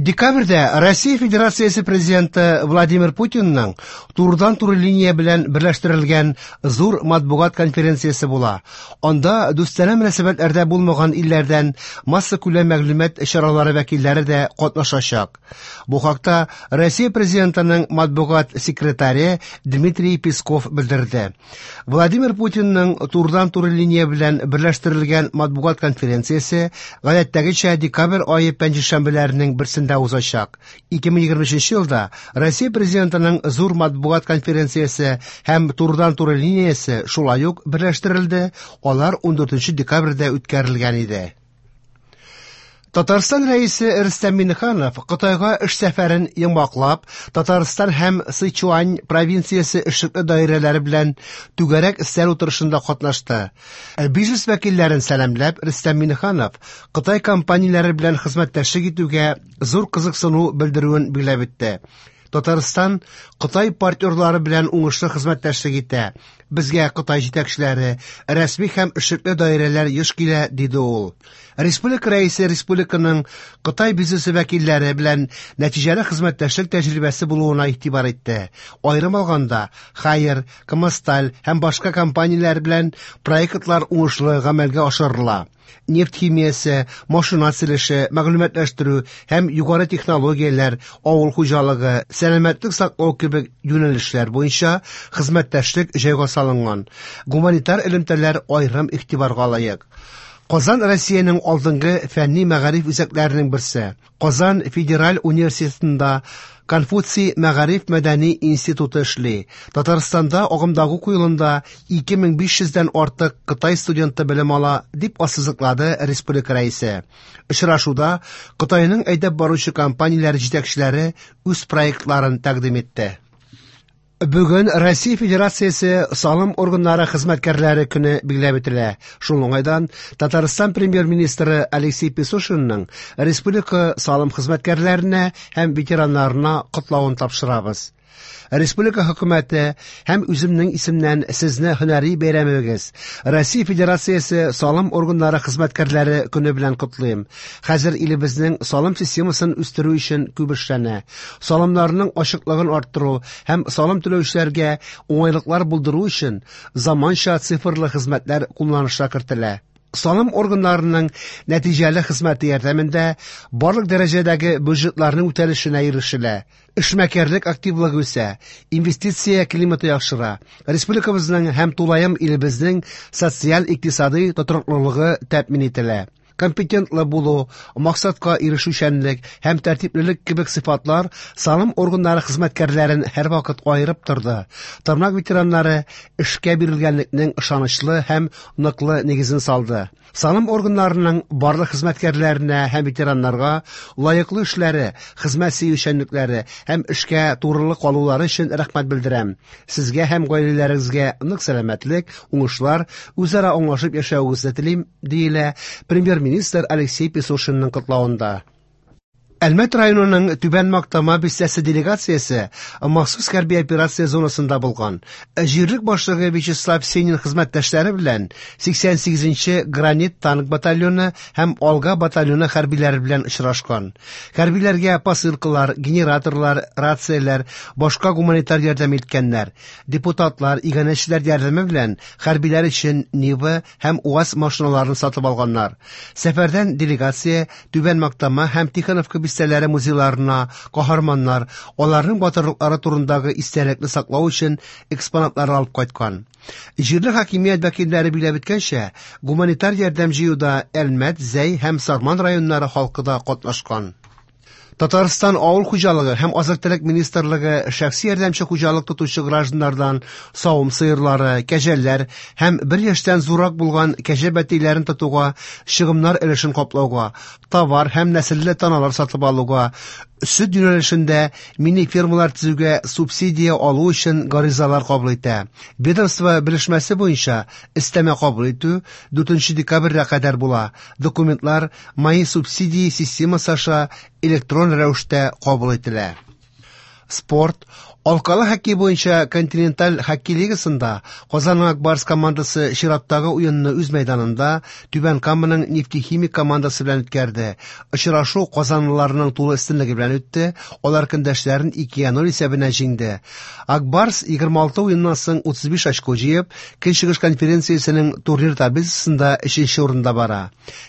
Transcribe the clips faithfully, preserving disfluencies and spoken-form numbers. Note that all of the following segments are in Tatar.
Декабрьдә Россия Федерациясе Президенты Владимир Путинның турыдан-туры линия белән берләштерелгән зур матбугат конференциясе була. Анда дустанә мөнәсәбәтләрдә булмаган илләрдән массакүләм мәгълүмат чаралары вәкилләре дә катнашачак. Бу хакта Россия Президентының матбугат секретаре Дмитрий Песков белдерде. Владимир Путинның турыдан-туры линия белән берләштерелгән матбугат конференциясе гадәттәгечә декабрь ае пәнҗешәмбеләренең берсендә узачак. ике мең егерме өченче елда Россия Президентының зур матбугат конференциясе һәм турыдан-туры линиясе шулай ук берләштерелде, алар ундүртенче декабрьдә үткәрелгән иде. Татарстан рәисе Рөстәм Миңнеханов Кытайга эш сәфәрен йомгаклап, Татарстан һәм Сычуань провинциясе эшлекле даирәләре белән түгәрәк өстәл утырышында катнашты. Бизнес вәкилләрен сәламләп, Рөстәм Миңнеханов Кытай компанияләре белән хезмәттәшлек итүгә зур кызыксыну белдерүен билгеләп үтте. Татарстан Кытай партнерлары белән уңышлы хезмәттәшлек итә. Безгә Кытай җитәкчеләре, рәсми һәм эшлекле даирәләр еш килә, диде ул. Республика рәисе республиканың Кытай бизнесы вәкилләре белән нәтиҗәле хезмәттәшлек тәҗрибәсе булуына игътибар итте. Аерым алганда, Хайер, Камасталь һәм башка компанияләр белән проектлар уңышлы гамәлгә ашырыла. Нефть химиясе, машина төзелеше, мәгълүматлаштыру һәм югары технологияләр, авыл хуҗалыгы, сәламәтлек саклау кебек юнәлешләр буенча хезмәттәшлек җайга салынган. Гуманитар элемтәләр аерым игътибарга лаек. Казан Россиянең алдынгы фәнни мәгариф үзәкләренең берсе. Казан Федераль университетында Конфуций мәгариф мәдәни институты эшли. Татарстанда агымдагы уку елында ике мең биш йөздән артык Кытай студенты белем ала, дип ассызыклады республика рәисе. Очрашуда Кытайның әйдәп баручы компанияләре җитәкчеләре үз проектларын тәкъдим итте. Бүген Россия Федерациясе салым органнары хезмәткәрләре көне билгеләп үтелә. Шул уңайдан Татарстан премьер-министры Алексей Песошинның республика салым хезмәткәрләренә һәм ветераннарына котлавын тапшырабыз. Республика хөкүмәте һәм үземнең исемнән сезне һөнәри бәйрәмегез Россия Федерациясе салым органнары хезмәткәрләре көне белән котлыйм. Хәзер илебезнең салым системасын үстерү өчен күп эшләнә. Салымнарның ачыклыгын арттыру һәм салым түләүчеләргә уңайлыклар булдыру өчен заманча цифрлы хезмәтләр кулланышка кертелә. Салым органнарының нәтиҗәле хезмәте ярдәмендә барлык дәрәҗәдәге бюджетларның үтәлешенә ирешелә. Эшмәкәрлек активлыгы үсә, инвестиция климаты яхшыра. Республикабызның һәм тулаем илебезнең социаль-икътисади тотрыклылыгы тәэмин ителә. Компетентлы булу, максатка ирешүчәнлек һәм тәртиплелек кебек сыйфатлар салым органнары хезмәткәрләрен һәрвакыт аерып торды. Тармак ветераннары эшкә бирелгәнлекнең ышанычлы һәм ныклы нигезен салды. Салым органнарының барлык хезмәткәрләренә һәм ветераннарга лаеклы эшләре, хезмәт сөючәнлекләре һәм эшкә турылык калулары өчен рәхмәт белдерәм. Сезгә һәм гаиләләрегезгә нык сәламәтлек, уңышлар, үзара аңлашып яшәвегезне телим, диелә премьер-министр Алексей Песошинның котлавында. Әлмәт районының Түбән Мактама бистәсе делегациясе махсус хәрби операция зонасында булган. Җирлек башлыгы Вячеслав Сенин хезмәттәшләре белән сиксән сигезенче гранит танк батальоны һәм Алга батальоны хәрбиләре белән очрашкан. Хәрбиләргә посылкалар, генераторлар, рацияләр, башка гуманитар ярдәм иткәннәр. Депутатлар, иганәчеләр ярдәме белән хәрбиләр өчен Нива һәм УАЗ машиналарын сатып алганнар. Сәфәрдән делегация Түбән Мактама һәм Тихоновка бистәләре музейларына каһарманнар, аларның батырлыклары турындагы истәлекне саклау өчен экспонатлар алып кайткан. Җирле хакимият вәкилләре билгеләп үткәнчә, гуманитар ярдәм җыюда Әлмәт, Зәй һәм Сарман районнары халкы да катнашкан. Татарстан Авыл хуҗалыгы һәм азык-төлек министрлыгы шәхси ярдәмче хуҗалык тотучы гражданнардан савым сыерлары, кәҗәләр һәм бер яшьтән зуррак булган кәҗә бәтиләрен тотуга, чыгымнар өлешен каплауга, товар һәм нәселле таналар сатып алуга, сөт юнәлешендә мини-фермалар төзүгә субсидия алу өчен гаризалар кабул итә. Ведомство белешмәсе буенча өстәмә кабул итү дүртенче декабрьгә кадәр була. Документлар Мои субсидии системасы аша электрон рәвештә кабул ителә. Спорт. Алкалы хоккей буенча Континенталь хоккей лигасында Казанның Ак Барс командасы чираттагы уенны үз мәйданында Түбән Каманың Нефтехимик командасы белән үткәрде. Очрашу казанлыларның тулы өстенлеге белән үтте. Алар көндәшләрен икегә ноль исәбенә җиңде. Ак Барс егерме алты уеннан соң утыз биш очко җыеп, Көнчыгыш конференциясенең турнир таблицасында өченче урында бара.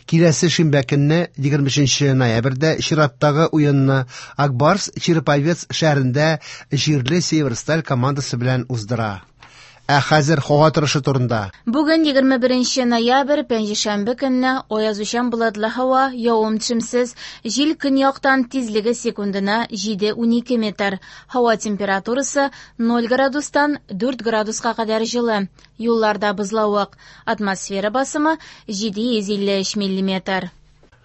Киләсе шимбә көнне, егерме өченче ноябрьдә чираттагы уенны Ак Барс Череповец шәһәрендә җирле Северсталь командасы белән уздыра. Ә хәзер һава торышы турында. Бүген егерме беренче ноябрь, пәнҗешәмбе көнне аязучан болытлы һава, явым-төшемсез, җил көньяктан тизлеге секундына җиде унике метр. Һава температурасы ноль градустан дүрт градуска кадәр җылы. Юлларда бозлавык. Атмосфера басымы җиде йөз илле өч миллиметр.